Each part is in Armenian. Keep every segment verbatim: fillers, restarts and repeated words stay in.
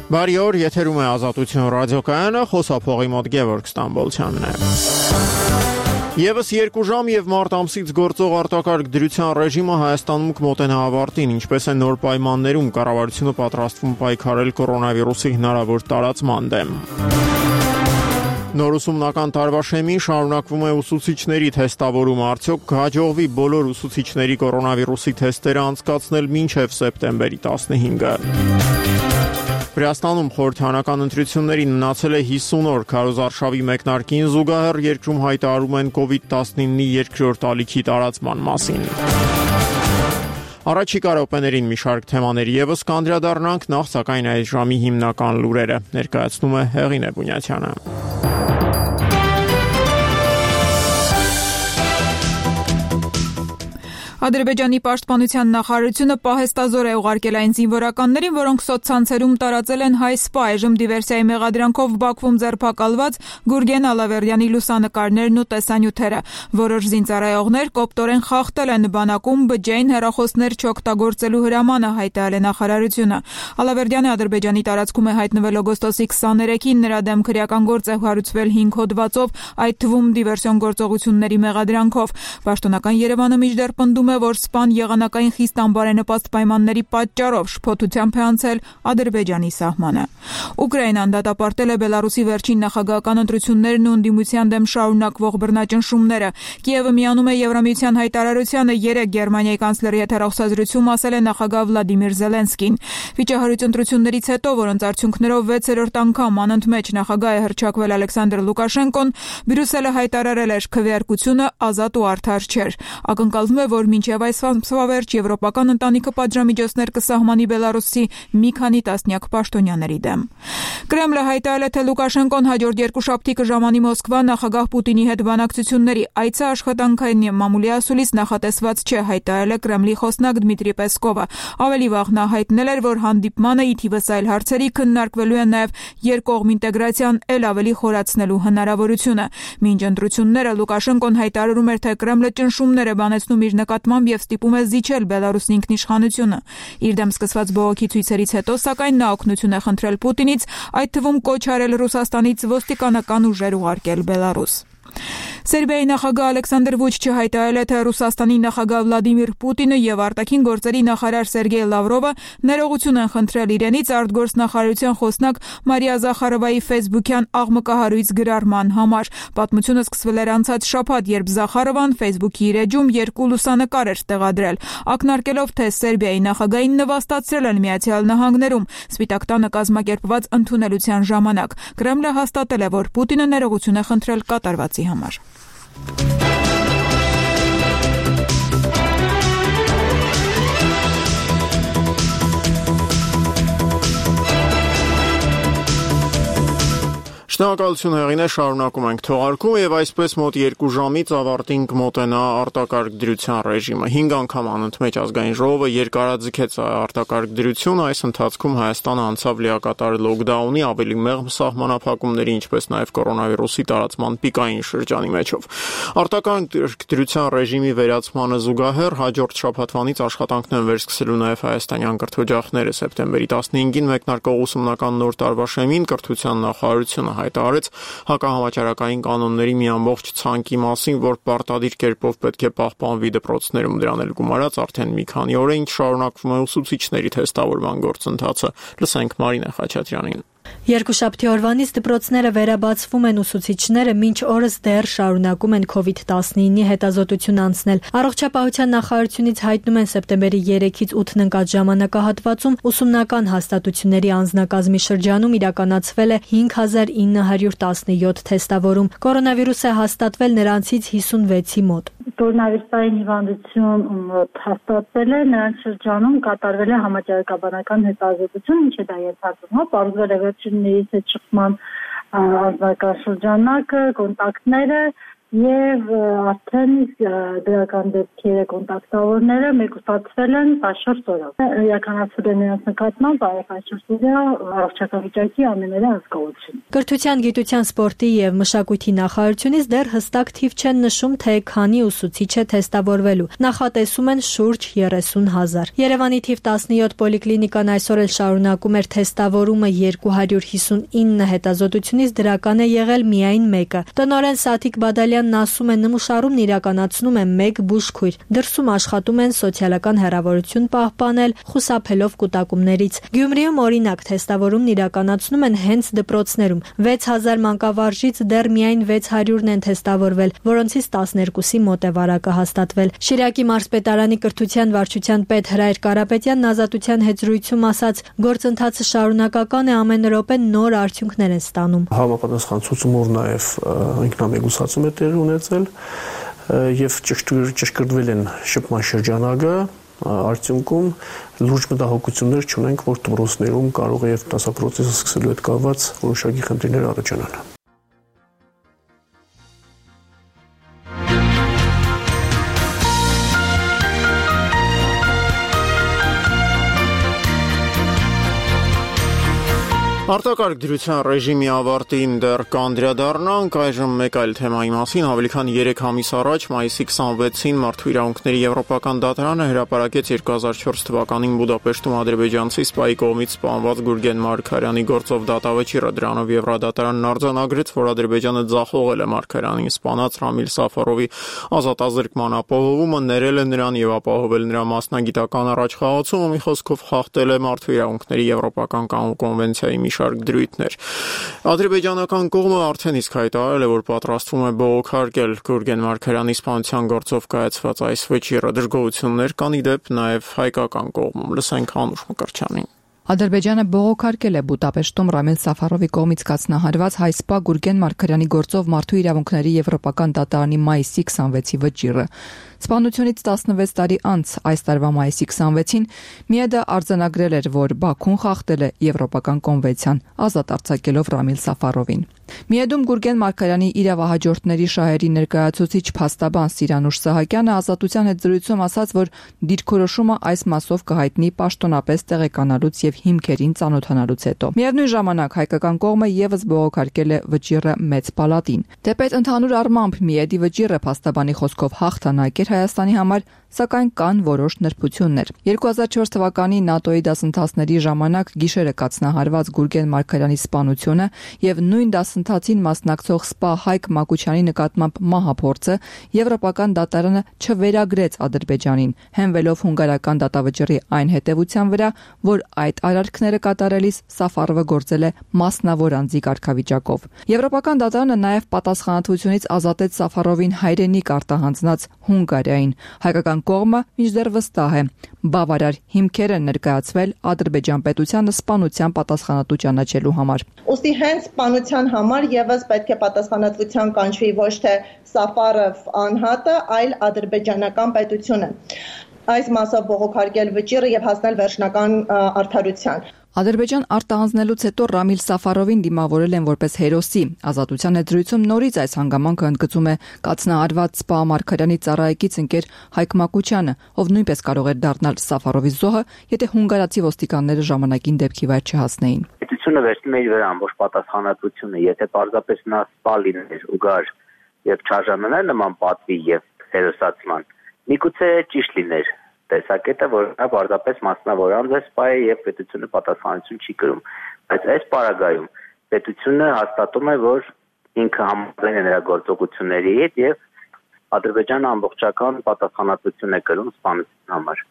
Բարի օր, եթերում է Ազատություն ռադիոկայանը, խոսափողի մոտ Գևորգ Ստամբոլցյանն է։ Եվս երկու ժամ եւ մարտ ամսից գործող արտակարգ դրության ռեժիմը Հայաստանում կմոտենա ավարտին, ինչպես է նոր պայմաններում կառավարությունը պատրաստվում պայքարել կորոնավիրուսի հնարավոր տարածման դեմ։ Նոր ուսումնական տարվա շեմին շարունակվում է ուսուցիչների թեստավորումը, արդյոք կհաջողվի բոլոր ուսուցիչների կորոնավիրուսի թեստերը անցկացնել մինչև սեպտեմբերի տասնհինգը։ Վրաստանում խորհրդարանական ընտրություններին մնացել է հիսուն օր, քարոզարշավի մեկնարկին զուգահեռ երկրում հայտարարում են կովիդ տասնինը երկրորդ ալիքի տարածման մասին։ Առաջիկա րոպեներին մի շարք թեմաների եւս կանդրադառնանք, նախ սակայն այս ժամի հիմնական լուրերը ներկայացնում է Հեղինե Բունյաթյանը։ Ադրբեջանի պաշտպանության նախարարությունը պահեստազոր է ուղարկել այն զինվորականներին, որոնք սոցցանցերում տարածել են հայ սպա, այժմ դիվերսիայի մեղադրանքով Բաքվում ձերբակալված Գուրգեն Ալավերդյանի լուսանկարներն ու տեսանյութերը։ Որոշ զինծառայողներ կոպտորեն խախտել են բանակում բջջային հեռախոսներ չօգտագործելու հրամանը, հայտարարել է նախարարությունը։ Ալավերդյանը Ադրբեջանի տարածքում է հայտնվել օգոստոսի քսաներեքին, նրա դեմ քրեական գործ է հարուցվել հինգ հոդվածով, այդ թվում դիվերսիոն գործողությունների մեղադրանքով։ Պաշտոնական Երևանը մինչդեռ պնդում է, որ սպան եղանակային խիստ անբարենպաստ պայմանների պատճառով շփոթությամբ է անցել Ադրբեջանի սահմանը։ Ուկրաինան դատապարտել է Բելարուսի վերջին նախագահական ընտրություններն ու ընդդիմության դեմ շարունակվող բռնաճնշումները։ Կիևը միանում է Եվրամիության հայտարարությանը, երեկ Գերմանիայի կանցլերի հետ հեռախոսազրույցում ասել է նախագահ Վլադիմիր Զելենսկին։ Վիճահարույց ընտրություններից հետո, որոնց արդյունքներով վեցերորդ անգամ անընդմեջ նախագահ է հռչակվել Ալեքսանդր Լուկաշենկոն, Բրյուսելը հայտարարել էր քվեարկությունը ազատ ու արդար չէր։ Ակնկալվում է, որ մինչև այս ամսվա վերջ եվրոպական ընտանիքը պատժամիջոցներ կսահմանի Բելարուսի մի քանի տասնյակ պաշտոնյաների դեմ։ Կրեմլը հայտարարել է, թե Լուկաշենկոն հաջորդ երկուշաբթի կժամանի Մոսկվա նախագահ Պուտինի հետ բանակցությունների։ Այցը աշխատանքային մամուլի ասուլիս նախատեսված չէ, հայտարարել է Կրեմլի խոսնակ Դմիտրի Պեսկովը։ Ավելի վաղ նա հայտնել էր, որ հանդիպմանը ի թիվս այլ հարցերի քննարկվելու է նաև երկկողմ ինտեգրացիան էլ ավելի խորացնելու հնարավորությունը։ Մինչ ընտրությունները Լուկաշենկոն հայտարարում էր, թե Կրեմլը ճնշումներ է բանեցնում իր նկատմամբ եւ ստիպում է զիջել Բելարուսի ինքնիշխանությունը։ Իր դեմ սկսված բողոքի ցույցերից հետո, սակայն նա օգնություն է խնդրել Պուտինից, այդ թվում կոչ արել Ռուսաստանից ոստիկանական ուժեր ուղարկել Բելարուս։ Սերբիայի նախագահ Ալեքսանդր Վուչիչը հայտարարել է, թե Ռուսաստանի նախագահ Վլադիմիր Պուտինը եւ արտաքին գործերի նախարար Սերգեյ Լավրովը ներողություն են խնդրել իրենից արտգործնախարարության խոսնակ Մարիա Զախարովայի ֆեյսբուքյան աղմկահարույց գրառման համար։ Պատմությունը սկսվել էր անցած շաբաթ, երբ Զախարովան ֆեյսբուքի իր էջում երկու լուսանկար էր տեղադրել, ակնարկելով, թե Սերբիայի նախագահին նվաստացրել են Միացյալ Նահանգներում Սպիտակ տանը կազմակերպված ընդունելության ժամանակ։ Կրեմլը հաստատել է, որ Պուտինը ներողություն է խնդրել կատարվածի համար։ Շնորհակալություն Հեղինե, շարունակում ենք թողարկումը եւ այսպես մոտ երկու ժամից ավարտին կմոտենա արտակարգ դրության ռեժիմը։ հինգ անգամ անընդմեջ ազգային ժողովը երկարաձգեց արտակարգ դրությունը, այս ընթացքում Հայաստանը անցավ լիակատար լոկդաունի, ավելի մեղմ սահմանափակումների, ինչպես նաեւ կորոնավիրուսի տարածման պիկային շրջանի մեջով։ Արտակարգ դրության ռեժիմի վերացմանը զուգահեռ հաջորդ շաբաթվանից աշխատանքն են վերսկսելու նաեւ հայաստանյան կրթօջախները։ Սեպտեմբերի տասնհինգին մեկնարկող ուսումնական նոր տարվա շեմին կրթության նախարարությունը հայտարարեց հակահամաճարակային կանոնների մի ամբողջ ցանկի մասին, որ պարտադիր կերպով պետք է պահպանվի դպրոցներում, դրան էլ գումարած արդեն մի քանի օր է ինչ շարունակվում է ուսուցիչների թեստավորման գործընթացը։ Լսենք Մարինե Խաչատրյանին։ Երկուշաբթի օրվանից դպրոցները վերաբացվում են, ուսուցիչները մինչ օրս դեռ շարունակում են կովիդ տասնինի հետազոտություն անցնել։ Առողջապահության նախարարությունից հայտնում են սեպտեմբերի երեքից ութն ընկած ժամանակահատվածում ուսումնական հաստատությունների անձնակազմի շրջանում իրականացվել է հինգ հազար ինը հարյուր տասնյոթ թեստավորում։ Կորոնավիրուս է հաստատվել նրանցից հիսունվեցի մոտ։ Կորոնավիրուսային հիվանդություն հաստատվել է, նրանց շրջանում կատարվել է համաճարակաբանական հետազոտություն, ինչ է դա ենթադրում, հա, պարզվել է վերջիններից հետ շփման անձնական շրջանակը, կոնտակտները, Եվ արդեն դրական դեպքերը կոնտակտավորները մեկուսացվել են տասնչորս օրով։ Իրականացվել են նրանց նկատմամբ տասնչորս օրյա առողջական վիճակի ամենօրյա հսկողություն։ Կրթության, գիտության, սպորտի եւ մշակույթի նախարարությունից դեռ հստակ թիվ չեն նշում, թե քանի ուսուցիչ է թեստավորվելու։ Նախատեսում են շուրջ երեսուն հազար։ Երևանի թիվ տասնյոթ պոլիկլինիկան այսօր էլ շարունակում էր թեստավորումը երկու հարյուր հիսունինը հետազոտությունից դրական է եղել միայն մեկը։ Տնօրեն Սաթիկ Բադալյանն ասում է, նմուշարումն իրականացնում է մեկ բուժքույր։ Դրսում աշխատում են սոցիալական հեռավորություն պահպանել, խուսափելով կուտակումներից։ Գյումրիում օրինակ թեստավորումն իրականացնում են հենց դպրոցներում։ վեց հազար մանկավարժից դեռ միայն վեց հարյուրն են թեստավորվել, որոնցից տասներկուսի մոտ է վարակը հաստատվել։ Շիրակի մարզպետարանի կրթության վարչության պետ Հրայր Կարապետյանն Ազատության հետ զրույցում ասաց, գործընթացը շարունակական է, ամեն րոպե նոր արդյունքներ են ստանում։ Համապատասխան ցուցումով նաև ինքնամեկուսացում է տեղի ունեցել եւ ճշգրտվել են շփման շրջանակը, արդյունքում լուրջ մտահոգություններ չունենք, որ դպրոցներում կարող է եւ դասապրոցեսը սկսելու հետ կապված որոշակի խնդիրներ առաջանալ։ Արտակարգ դրության ռեժիմի ավարտին դեռ կանդրադառնանք, այժմ մեկ այլ թեմայի մասին։ Ավելի քան երեք ամիս առաջ, մայիսի քսանվեցին Մարդու իրավունքների Եվրոպական դատարանը հրապարակեց երկու հազար չորս թվականին Բուդապեշտում ադրբեջանցի սպայի կողմից սպանված Գուրգեն Մարգարյանի գործով դատավճիռը։ Դրանով Եվրադատարանն արձանագրեց, որ Ադրբեջանը ձախողել է Մարգարյանին սպանած Ռամիլ Սաֆարովի ազատազրկման ապահովումը, ներել է նրան եւ ապահովել նրա մասնագիտական առաջխաղացումը, մի խոսքով խախտել է Մարդու իրավունքների Եվրոպական կոնվենցիայի մի շարք դրույթներ։ Ադրբեջանական կողմը արդեն իսկ հայտարարել է, որ պատրաստվում է բողոքարկել Գուրգեն Մարգարյանի սպանության գործով կայացված այս վճիռը։ Դժգոհություններ կան ի դեպ նաև հայկական կողմում։ Լսենք Անուշ Մկրտչյանին։ Ադրբեջանը բողոքարկել է Բուդապեշտում Ռամիլ Սաֆարովի կողմից կազմահարված հայ սպա Գուրգեն Մարգարյանի գործով Մարդու իրավունքների Եվրոպական դատարանի մայիսի քսանվեցի վճիռը։ Սպանությունից տասնվեց տարի անց այս տարվա մայիսի քսանվեցին ՄԻԵԴ-ը արձանագրել էր, որ Բաքուն խախտել է Եվրոպական կոնվենցիան, ազատ արձակելով Ռամիլ Սաֆարովին։ ՄԻԵԴ-ում Գուրգեն Մարգարյանի իրավահաջորդների շահերի ներկայացուցիչ փաստաբան Սիրանուշ Սահակյանը Ազատության հետ զրույցում ասաց, որ դիրքորոշումը այս մասով կհայտնի պաշտոնապես տեղեկանալուց եւ հիմքերին ծանոթանալուց հետո։ Միևնույն ժամանակ հայկական կողմը եւս բողոքարկել է վճիռը մեծ պալատին։ Դեպետ ընդհանուր առմամբ ՄԻԵԴ-ի վճիռը փաստաբանի խոսքով հաղթանակ էր Հայաստանի համար, սակայն կան որոշ նրբություններ։ երկու հազար չորս թվականի ՆԱՏՕ-ի դասընթացների ժամանակ գիշերը կազմահարված Գուրգեն Մարգարյանի սպանությունը եւ նույն դասընթացին մասնակցող սպա Հայկ Մակուչյանի նկատմամբ մահափորձը Եվրոպական դատարանը չվերագրեց Ադրբեջանին, հենվելով հունգարական դատավճիռի այն հետևության վրա, որ այդ արարքները կատարելիս Սաֆարովը գործել է մասնավոր անձի կարգավիճակով։ Եվրոպական դատարանը նաեւ պատասխանատվությունից ազատեց Սաֆարովին հայրենիք արտահանձնած Հունգարիային։ Հայկական կողմը մինչդեռ վստահ է, բավարար հիմքեր են ներկայացվել Ադրբեջան պետությանը սպանության պատասխանատու ճանաչելու համար։ Ոստի հենց սպանության համար եւս պետք է պատասխանատվության կանչվի ոչ թե Սաֆարով անհատը, այլ ադրբեջանական պետությունը։ Այս մասով բողոքարկել վճիռը եւ հասնել վերջնական արդարության։ Ադրբեջան արտահանձնելուց հետո Ռամիլ Սաֆարովին դիմավորել են որպես հերոսի։ Ազատության հետ զրույցում նորից այս հանգամանքը ընդգծում է կացնահարված սպա Մարգարյանի ծառայեկից ընկեր Հայկ Մակուչյանը, ով նույնպես կարող էր դառնալ Սաֆարովի զոհը, եթե հունգարացի ոստիկանները ժամանակին դեպքի վայր չհասնեին։ Պետությունը վերցնում է իր վրա ամբողջ պատասխանատվությունը, եթե պարզապես նա սպա լիներ ու գար եւ չարժանանար նման պատվի եւ հերոսացման, միգուցե ճիշտ լիներ տեսակետը, որ նա պարզապես մասնավոր անձ է սպա է եւ պետությունը պատասխանատվություն չի կրում, բայց այս պարագայում պետությունը հաստատում է, որ ինքը համաձայն է նրա գործողությունների հետ եւ Ադրբեջանը ամբողջական պատասխանատվություն է կրում սպանության համար։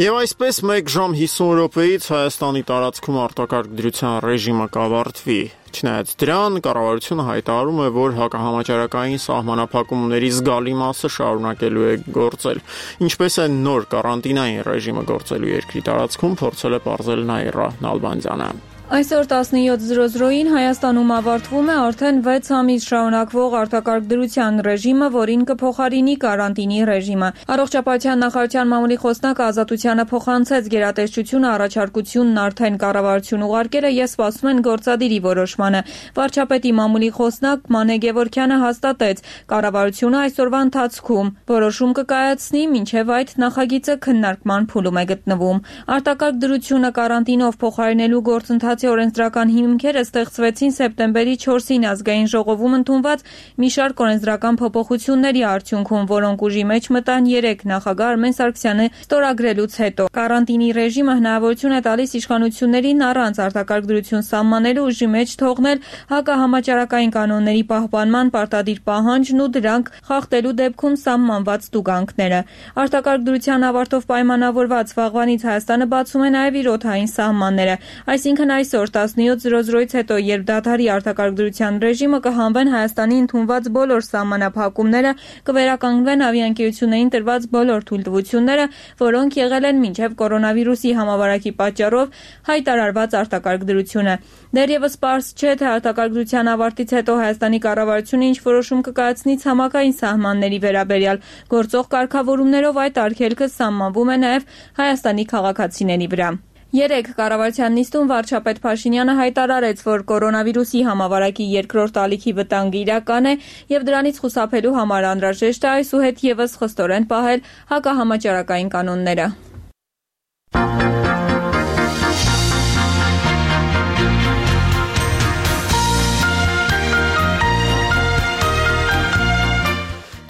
Եվ այսպես մեկ ժամ հիսուն րոպեից Հայաստանի տարածքում արտակարգ դրության ռեժիմը կավարտվի։ Չնայած դրան, կառավարությունը հայտարարում է, որ հակահամաճարակային սահմանափակումների զգալի մասը շարունակելու է գործել։ Ինչպես է նոր կարանտինային ռեժիմը գործելու երկրի տարածքում, փորձել է պարզել Նաիրա Նալբանդյանը։ Այսօր տասնյոթ զրո զրոին Հայաստանում ավարտվում է արդեն վեց ամիս շարունակվող արտակարգ դրության ռեժիմը, որին կփոխարինի կարանտինի ռեժիմը։ Առողջապահության նախարարության մամուլի խոսնակ Ազատությանը փոխանցեց գերատեսչությունը առաջարկությունն արդեն կառավարություն ուղարկել է եւ սպասում են գործադիրի որոշմանը։ Վարչապետի մամուլի խոսնակ Մանե Գևորգյանը հաստատեց, կառավարությունը այսօրվա ընթացքում որոշում կկայացնի, մինչև այդ նախագիծը քննարկման փուլում է գտնվում։ Արտակարգ դրությունը կարանտինով փոխարինելու գործընթաց օրենսդրական հիմքերը ստեղծվեցին սեպտեմբերի չորսին ազգային ժողովում ընդունված մի շարք օրենսդրական փոփոխությունների արդյունքում, որոնք ուժի մեջ մտան երեք նախագահ Արմեն Սարգսյանը ստորագրելուց հետո։ Կարանտինի ռեժիմը հնարավորություն է տալիս իշխանություններին առանց արտակարգ դրություն սահմանելու ուժի մեջ թողնել հակահամաճարակային կանոնների պահպանման պարտադիր պահանջն ու դրանք խախտելու դեպքում սահմանված տուգանքները։ Արտակարգ դրության ավարտով պայմանավորված վաղվանից Հայաստանը բացում է նաև իր օդային սահմանները, այսինքն այս Այսօր տասնյոթ զրո զրոից հետո, երբ դադարի արտակարգ դրության ռեժիմը, կհանվեն Հայաստանի ընդունված բոլոր սահմանափակումները, կվերականգնվեն ավիաընկերություններին տրված բոլոր թույլտվությունները, որոնք եղել են մինչև կորոնավիրուսի համավարակի պատճառով հայտարարված արտակարգ դրությունը։ Դեռևս պարզ չէ, թե արտակարգ դրության ավարտից հետո Հայաստանի կառավարությունը ինչ որոշում կկայացնի ցամաքային սահմանների վերաբերյալ։ Գործող կարգավորումներով այդ արգելքը սահմանվում է նաև Հայաստանի քաղաքացիների վրա։ Երեկ կառավարության նիստում վարչապետ Փաշինյանը հայտարարեց, որ կորոնավիրուսի համավարակի երկրորդ ալիքի վտանգը իրական է եւ դրանից խուսափելու համար անհրաժեշտ է այսուհետ եւս խստորեն պահել հակահամաճարակային կանոնները։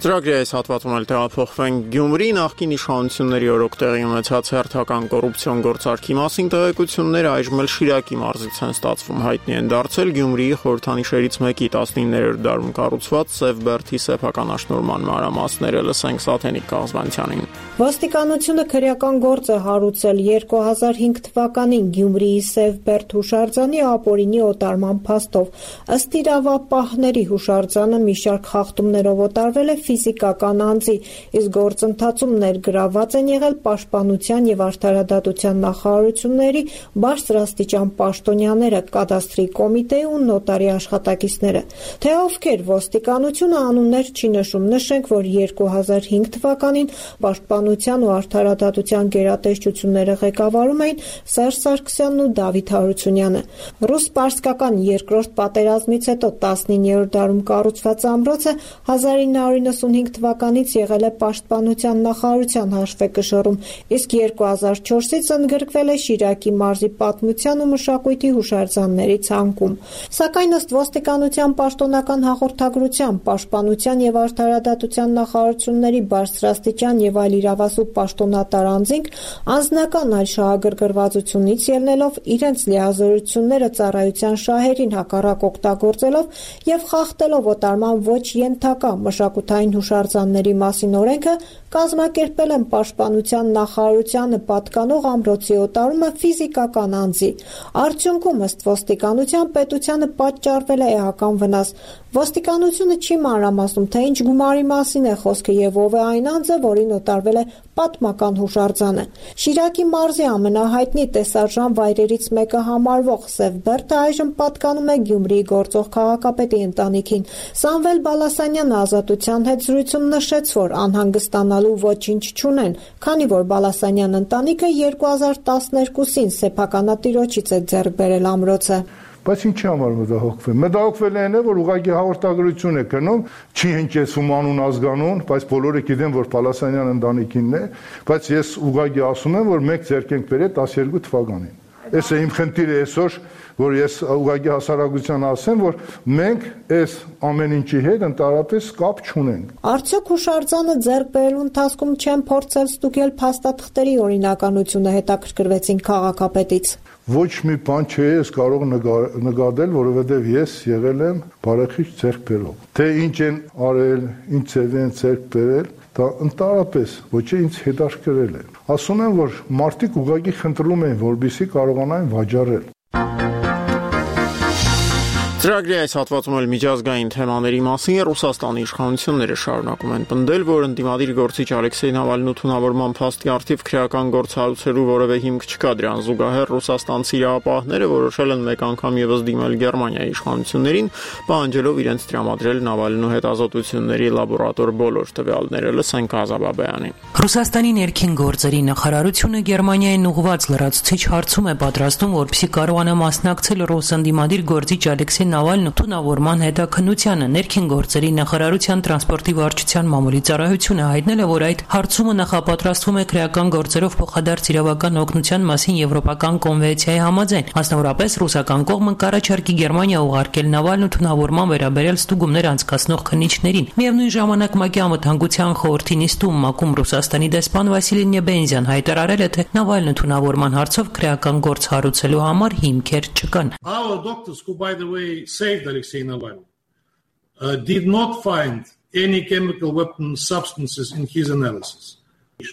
Ծրագրի այս հատվածում էլ տեղափոխվենք Գյումրի նախկին իշխանությունների օրոք տեղի ունեցած հերթական կոռուպցիոն գործարքի մասին տեղեկությունները այժմ էլ Շիրակի մարզից են ստացվում, հայտնի են դարձել Գյումրիի խորհրդանիշերից մեկի տասնիններորդ դարում կառուցված Սևբերդի սեփականաշնորհման մանրամասները, լսենք Սաթենիկ Կազբանյանին։ Ոստիկանությունը քրեական գործ է հարուցել երկու հազար հինգ թվականին Գյումրիի Սևբերդ հուշարձանի ապօրինի օտարման փաստով։ Ըստ իրավապահների հուշարձանը մի շարք խախտումներով օտարվել է ֆիզիկական անձի, իսկ գործընթացում ներգրավված են եղել Պաշտպանության եւ Արդարադատության նախարարությունների բարձրաստիճան պաշտոնյաները, կադաստրի կոմիտեի ու նոտարի աշխատակիցները։ Թե ովքեր ոստիկանությունը անուններ չի նշում, նշենք, որ երկու հազար հինգ թվականին Պաշտպանության ու Արդարադատության գերատեսչությունները ղեկավարում էին Սերժ Սարգսյանն ու Դավիթ Հարությունյանը։ Ռուս-պարսկական երկրորդ պատերազմից հետո տասնիններորդ դարում կառուցված ամրոցը հազար ինը հարյուր նվաթ թվականից եղել է Պաշտպանության նախարարության հաշվեկշռում, իսկ երկու հազար չորսից ընդգրկվել է Շիրակի մարզի պատմության ու մշակույթի հուշարձանների ցանկում։ Սակայն ըստ ոստիկանության պաշտոնական հաղորդագրության, Պաշտպանության եւ Արդարադատության նախարարությունների բարձրաստիճան եւ այլ իրավասու պաշտոնատար անձինք անձնական այլ շահագրգռվածությունից ելնելով իրենց լիազորությունները ծառայության շահերին հակառակ օգտագործելով եւ խախտելով օտարման ոչ ենթակա մշակութային հուշարձանների մասին օրենքը, կազմակերպել են Պաշտպանության նախարարությանը պատկանող ամրոցի օտարումը ֆիզիկական անձի։ Արդյունքում ըստ ոստիկանության պետությանը պատճառվել է էական վնաս։ Ոստիկանությունը չի մանրամասնում, թե ինչ գումարի մասին է խոսքը եւ ով է այն անձը, որին օտարվել է պատմական հուշարձանը։ Շիրակի մարզի ամենահայտնի տեսարժան վայրերից մեկը համարվող Սևբերդը այժմ պատկանում է Գյումրիի գործող քաղաքապետի ընտանիքին։ Սամվել Բալասանյանը Ազատության հետ զրույցում նշեց, որ անհանգստանալու ոչինչ չունեն, քանի որ Բալասանյան ընտանիքը երկու հազար տասներկուսին սեփականատիրոջից է ձեռք բերել ամրոցը։ Բայց ինչի համար մտահոգվել։ Մտահոգվել են, որ ուղղակի հաղորդագրություն է գնում, չի հնչեցում անուն ազգանուն, բայց բոլորը գիտեն, որ Բալասանյան ընտանիքինն է, բայց ես ուղղակի ասում եմ, որ մեկ ձեռք ենք բերել տասներկու թվականին։ Այս է իմ խնդիրը այսօր, որ ես ուղղակի հասարակության ասեմ, որ մենք այս ամեն ինչի հետ ընդհանրապես կապ չունենք։ Արդյոք հուշարձանը ձեռք բերելու ընթացքում չեն փորձել ստուգել փաստաթղթերի օրինականությունը, հետաքրքրվեցին քաղաքապետից։ Ոչ մի բան չէ ես կարող նկատել, որովհետև ես եղել եմ բարեխիղճ ձեռք բերող։ Թե ինչ են արել, ինչ ձև են ձեռք բերել, դա ընդհանրապես ոչ ինձ հետաքրքրել է։ Ասում եմ, որ մարդիկ ուղղակի խնդրում են, որպեսզի կարողանային վաճառել։ Ծրագրի այս հատվածում էլ միջազգային թեմաների մասին Ռուսաստանի իշխանությունները շարունակում են պնդել, որ ընդդիմադիր գործիչ Ալեքսեյ Նավալնու թունավորման փաստի առթիվ քրեական գործ հարուցելու որևէ հիմք չկա։ Դրան զուգահեռ ռուսաստանցի իրավապահները որոշել են մեկ անգամ ևս դիմել Գերմանիայի իշխանություններին, պահանջելով իրենց տրամադրել Նավալնու հետազոտությունների լաբորատոր բոլոր տվյալները։ Լսենք Ազաբաբյանին։ Ռուսաստանի ներքին գործերի նախարարությունը Գերմանիային ուղղված լրացուցիչ հարցում է պատրաստում, որպեսզի կարողանա մասնակցել ռուս ընդդիմադիր գործիչ Ալեքսեյ Նավալնու թունավորման հետաքննությանը։ Ներքին գործերի նախարարության տրանսպորտի վարչության մամուլի ծառայությունը հայտնել է, որ այդ հարցումը նախապատրաստվում է քրեական գործերով փոխադարձ իրավական օգնության մասին եվրոպական կոնվենցիայի համաձայն։ Մասնավորապես ռուսական կողմը կառաջարկի Գերմանիա ուղարկել Նավալնու թունավորման վերաբերյալ ստուգումներ անցկացնող քննիչներին։ Միևնույն ժամանակ ՄԱԿ-ի անվտանգության խորհրդի նիստում ՄԱԿ-ում Ռուսաստանի դեսպան Վասիլի Նեբենզյան հայտարարել է, թե Նավալնու թունավորման հարցով քրեական գործ հարուցելու համար հիմքեր չկան։ Saved Alexei Navalny uh, did not find any chemical weapon substances in his analysis.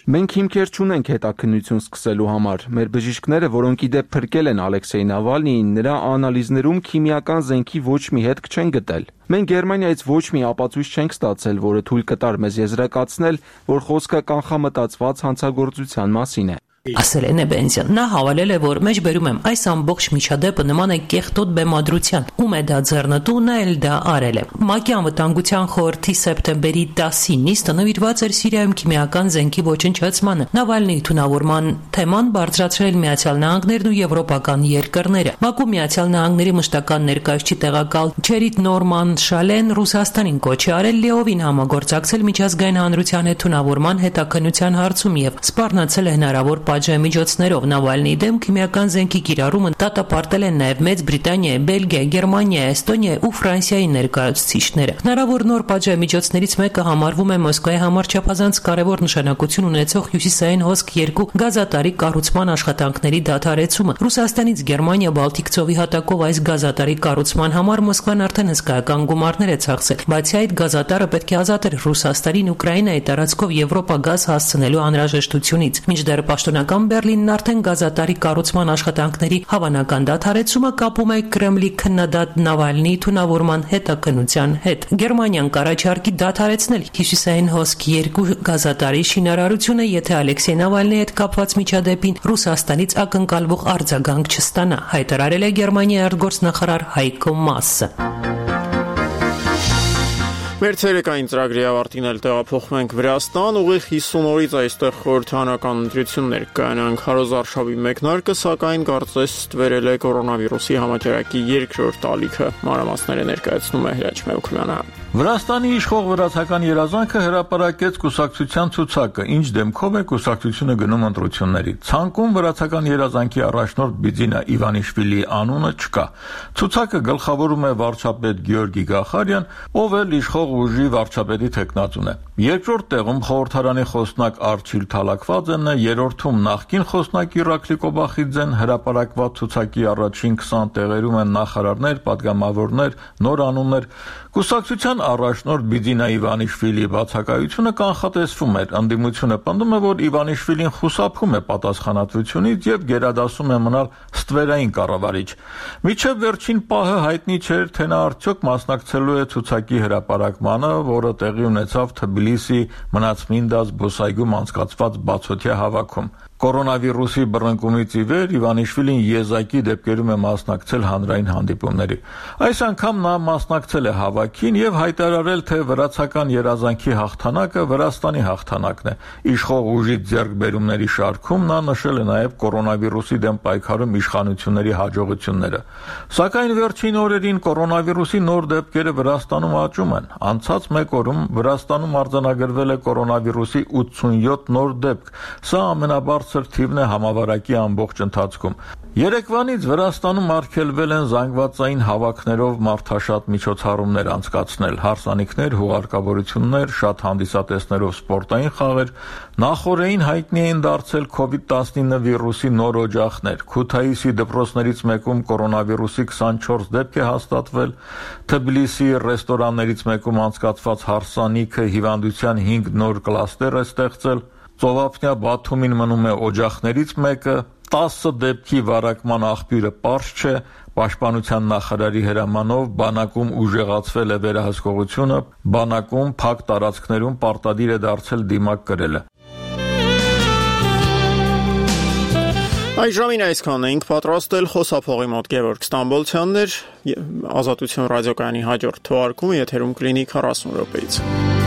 Մենք հիմքեր չունենք հետաքննություն սկսելու համար։ Մեր բժիշկները, որոնք իդեպ փրկել են Ալեքսեյ Նավալնիին, նրա անալիզներում քիմիական զենքի ոչ մի հետք չեն գտել։ Մենք Գերմանիայից ոչ մի ապացույց չենք ստացել, որը թույլ կտար մեզ եզրակացնել, որ խոսքը կանխամտածված հանցագործության մասին է։ Ասել է Նեբենզյան։ Նա հավելել է, որ մեջբերում եմ այս ամբողջ միջադեպը նման է կեղտոտ բեմադրության, ում է դա ձեռնտու, նա էլ դա արել է։ ՄԱԿ-ի անվտանգության խորհրդի սեպտեմբերի տասի նիստը նվիրված էր Սիրիայում քիմիական զենքի ոչնչացմանը։ Նավալնիի թունավորման թեման բարձրացրել Միացյալ Նահանգներն ու եվրոպական երկրները։ ՄԱԿ-ում Միացյալ Նահանգների մշտական ներկայացուցիչ տեղակալ Չերիտ Նորման Շալեն Ռուսաստանին կոչ է արել լիովին համագործակցել միջազգային հանրության հետ թունավորման հետաքննության հարցում եւ սպառնացել է հնարավոր միջոցներով Նավալնիի դեմ քիմիական զենքի կիրառումը դատապարտել են նաև Մեծ Բրիտանիայի, Բելգիայի, Գերմանիայի, Էստոնիայի ու Ֆրանսիայի ներկայացուցիչները։ Հնարավոր նոր միջոցներից մեկը համարվում է Մոսկվայի համար չափազանց կարևոր նշանակություն ունեցող Հյուսիսային հոսք երկու գազատարի կառուցման աշխատանքների դադարեցումը։ Ռուսաստանից Գերմանիա Բալտիկ ծովի հատակով այս գազատարի կառուցման համար Մոսկվան արդեն հսկայական գումարներ է ծախսել։ Բացի այդ, գազատարը պետք է ազատեր Ռուսաստանին Ուկրաինայի տարածքով Եվրոպա գազ հասցնելու անհրաժեշտությունից։ Մինչդեռ պաշտոնական Բերլինն արդեն գազատարի կառուցման աշխատանքների հավանական դադարեցումը կապում է Կրեմլի քննադատ Նավալնիի թունավորման հետաքննության հետ։ Գերմանիան կառաջարկի դադարեցնել Հյուսիսային հոսք երկու գազատարի շինարարությունը, եթե Ալեքսեյ Նավալնիի հետ կապված միջադեպին Ռուսաստանից ակնկալվող արձագանք չստանա, հայտարարել է Գերմանիայի արտգործնախարար Հայկո Մասը։ Մեր ցերեկային ծրագրի ավարտին էլ տեղափոխվում ենք Վրաստան, ուղիղ հիսուն օրից այստեղ խորհրդանական ընտրություններ կայանան։ Քարոզ Արշավի մեկնարկը, սակայն կարծես ստվերել է կորոնավիրուսի համաճարակի երկրորդ ալիքը։ Մանրամասները ներկայացնում է Հրաչ Մեուքմյանը։ Վրաստանի իշխող վրացական երազանքը հրապարակեց կուսակցության ցուցակը, ինչ դեմքով է կուսակցությունը գնում ընտրությունների։ Ցանկում վրացական երազանքի առաջնորդ Բիձինա Իվանիշվիլիի անունը չկա։ Ցուցակը գլխավորում է վարչապետ Գեորգի Գախարյան, ով էլ իշխող ուժի վարչապետի թեկնածուն է։ Երկրորդ տեղում խորհրդարանի խոսնակ Արչիլ Թալակվաձենն է, երրորդում նախկին խոսնակ Իրակլի Կոբախիձեն, հրապարակված ցուցակի առաջին քսան տեղերում են նախարարներ, պատգամավորներ, նոր անուններ։ Կուսակցության առաջնորդ Բիձինա Իվանիշվիլիի բացակայությունը կանխատեսվում էր։ Ընդդիմությունը պնդում է, որ Իվանիշվիլին խուսափում է պատասխանատվությունից եւ գերադասում է մնալ ստվերային կառավարիչ։ Մինչև վերջին պահը հայտնի չէր, թե նա արդյոք մասնակցելու է ցուցակի հրապարակմանը, որը տեղի ունեցավ Թբիլիսի Մնացմինդա զբոսայգում անցկացված բացօթյա հավաքում։ Կորոնավիրուսի բռնկումից ի վեր Իվանիշվիլին եզակի դեպքերում է մասնակցել հանրային հանդիպումների։ Այս անգամ նա մասնակցել է հավաքին եւ հայտարարել, թե վրացական երազանքի հաղթանակը Վրաստանի հաղթանակն է։ Իշխող ուժի ձեռքբերումների շարքում նա նշել է նաեւ կորոնավիրուսի դեմ պայքարում իշխանությունների հաջողությունները։ Սակայն վերջին օրերին կորոնավիրուսի նոր դեպքերը Վրաստանում աճում են։ Անցած մեկ օրում Վրաստանում արձանագրվել է կորոնավիրուսի ութսունյոթ նոր դեպք։ Սա ամենաբարձր թիվն է համավարակի ամբողջ ընթացքում։ Երեկվանից Վրաստանում արգելվել են զանգվածային հավաքներով մարդաշատ միջոցառումներ անցկացնել, հարսանիքներ, հուղարկավորություններ, շատ հանդիսատեսներով սպորտային խաղեր, նախօրեին հայտնի էին դարձել քովիդ տասնինը վիրուսի նոր օջախներ, Քութայիսի դպրոցներից մեկում կորոնավիրուսի քսանչորս դեպք է հաստատվել, Թբիլիսի ռեստորաններից մեկում անցկացված հարսանիքը հիվանդության հինգ նոր կլաստեր է ստեղծել, Ծովափնյա Բաթումին մնում է օջախներից մեկը, տասը դեպքի վարակման աղբյուրը պարզ չէ, Պաշտպանության նախարարի հրամանով բանակում ուժեղացվել է վերահսկողությունը, բանակում փակ տարածքներում պարտադիր է դարձել դիմակ կրելը։ Այժմին այսքանն էինք պատրաստել, խոսափողի մոտ Գևորգ Ստամբոլցյանն էր, Ազատություն ռադիոկայանի հաջորդ թողարկումը եթերում կլինի քառասուն րոպեից։